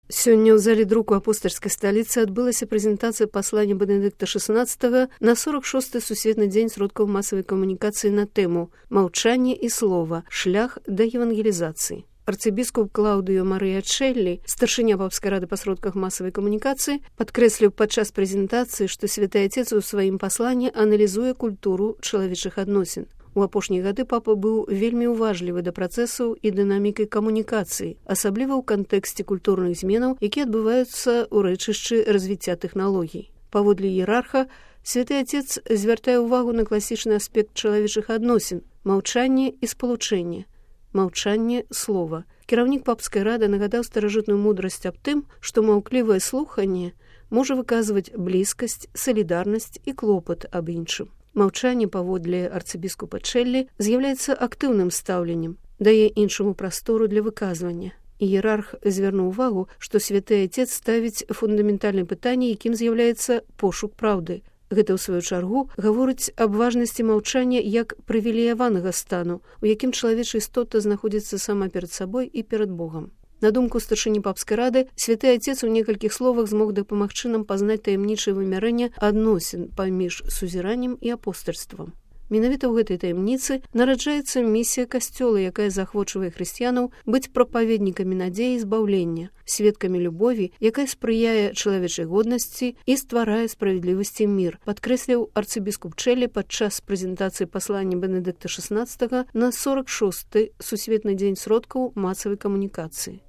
Сёння ў зале друку апостальскай сталіцы адбылася прэзентацыя паслання Бенедыкта XVI на 46-й сусветны дзень сродкаў масавай камунікацыі на тэму «Маўчанне і слова. Шлях да евангелізацыі». Арцыбіскуп Клаўдыё Марыя Чэллі, старшыня папскай рады па сродках масавай камунікацыі, падкрэсліў падчас прэзентацыі, што Святы Отец у сваім пасланні аналізуе культуру чалавечых адносін. У апошнія гады папа быў вельмі уважлівы да працэсаў і дынамікай камунікацыі, асабліва ў кантэксце культурных зменаў, якія адбываюцца ў рэчышчы развіцця тэхналогій. Паводле іерарха, Святы Отец звяртае ўвагу на класічны аспект чалавечых адносін – маўчанне і спалучэнне. Маўчанне слова. Кіраўнік папскай рады нагадаў старажытную мудрасць аб тым, што маўклівае слуханне можа выказваць блізкасць, салідарнасць і клопат аб іншым. Маўчанне, паводле арцыбіскупа Чэллі, з'яўляецца актыўным стаўленнем, дае іншаму прастору для выказвання. Іерарх звярнуў увагу, што Святы Отец ставіць фундаментальнае пытанне, якім з'яўляецца пошук праўды. Гэта, ў сваю чаргу, гаворыць аб важнасці маўчання як прывілеяванага стану, у якім чалавечая істота знаходзіцца сама перад сабой і перад Богам. На думку старшыні папскай рады, Святы Отец у некалькіх словах змог дапамагчы нам пазнаць таямнічае вымярэнне адносін паміж сузіраннем і апостальствам. Менавіта ў гэтай таямніцы нараджаецца місія касцёла, якая заахвочвае хрысціянаў быць прапаведнікамі надзеі і збаўлення, сведкамі любові, якая спрыяе чалавечай годнасці і стварае справядлівасці мір, падкрэсліў арцыбіскуп Чэллі падчас прэзентацыі паслання Бенедыкта XVI на 46-й сусветны дзень сродкаў масавай камунікацыі.